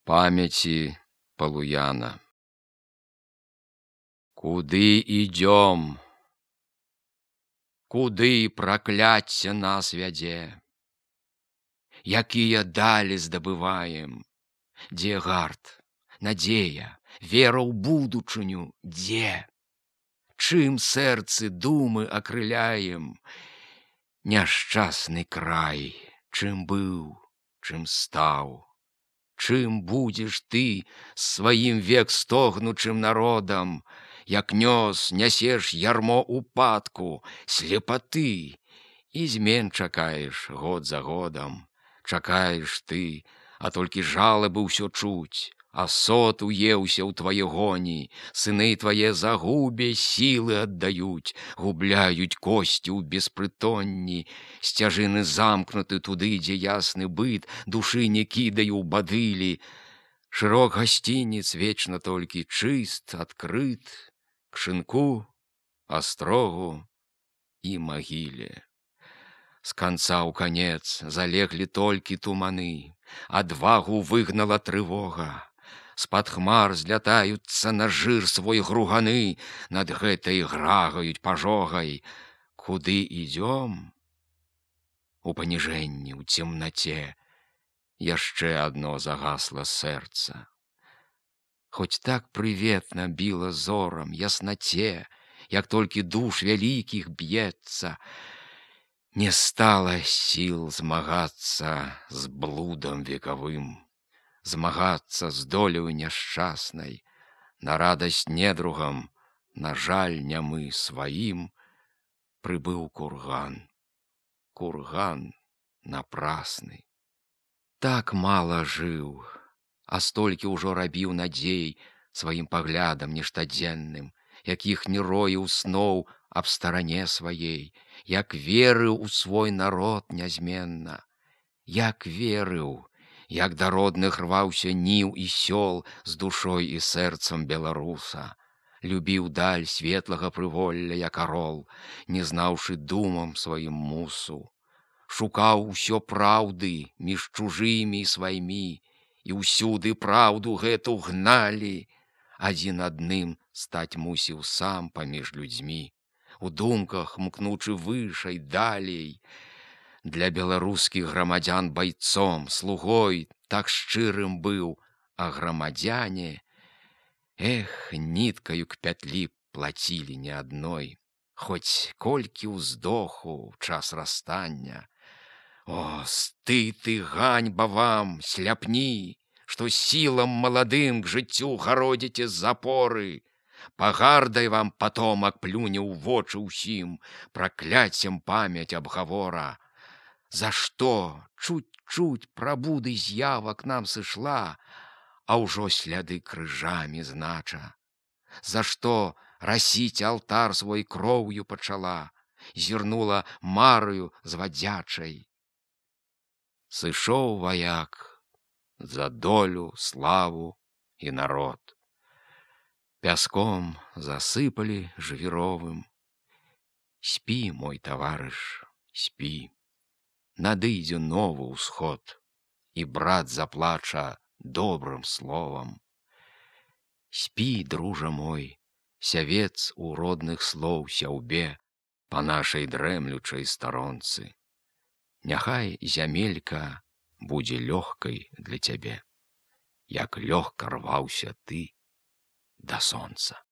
Памяти Полуяна. Куды ідём? Куды пракляцце нас вядзе? Якія далі здабываем? Дзе гарт, надзея, вера ў будучыню, дзе? Чым сэрцы думы акрыляем? Няшчасны край, чым быў, чым стаў? Чым будзеш ты сваім век стогнучым народам, як нясеш ярмо упадку, слепаты, і змен чакаеш год за годам. Чакаеш ты, а толькі жалабы ўсё чуць, асод уеўся ў твае гоні, сыны твае загубе сілы аддаюць, губляюць косці ў беспрытонні, сцяжыны замкнуты туды, дзе ясны быт душы не кідае ў бадылі. Шырок гасцініц вечна толькі чыст, адкрыт, к шынку, астрогу і магіле. З канца ў канец залеглі толькі туманы, адвагу выгнала трывога. З-пад хмар злятаюцца на жыр свой груганы, над гэтай грагаюць пажогай. Куды ідём? У паніжэнні, у цемнаце яшчэ адно загасла сэрца. Хоць так прыветна біла зорам, яснаце, як толькі душ вялікіх б'ецца, не стала сіл змагацца з блудам векавым, змагацца з доляю няшчаснай, на радасць недругам, на жаль нямы сваім, прыбыў курган. Курган напрасны. Так мала жыў, а столькі ўжо рабіў надзей сваім паглядам нештадзенным, якіх не роіў сноў аб старане сваей, як верыў у свой народ нязменна, як верыў, як да родных рваўся ніў і сёл з душой і сэрцам беларуса, любіў даль светлага прыволля, як арол, не знаўшы думам сваім мусу, шукаў усё праўды між чужымі і сваімі, і ўсюды праўду гэту гналі, адзін адным стаць мусіў сам паміж людзьмі, у думках мкнучы вышэй, далей. Для беларускіх грамадзян байцом, слугой так шчырым быў, а грамадзяне, ніткаю к пятлі плацілі не адной, хоць колькі ўздоху час расстання. О, стыд і ганьба вам, сляпні, што сілам маладым к жыццю гародзіце запоры. Пагардай вам патомак плюне ў вочы ўсім, пракляццем памяць абгавора. За што чуць-чуць прабуды з'ява к нам сышла, а ўжо сляды крыжамі знача? За што расіць алтар свой кроўю пачала, зірнула мараю звадзячай? Сышоў ваяк за долю, славу і народ. Пяском засыпалі жвіровым. Спі, мой таварыш, спі. Надыдзе новы ўсход, і брат заплача добрым словам. Спі, дружа мой, сявец у родных слоў сяўбе па нашай дрэмлючай старонцы. Няхай зямелька будзе лёгкай для цябе, як лёгка рваўся ты да сонца.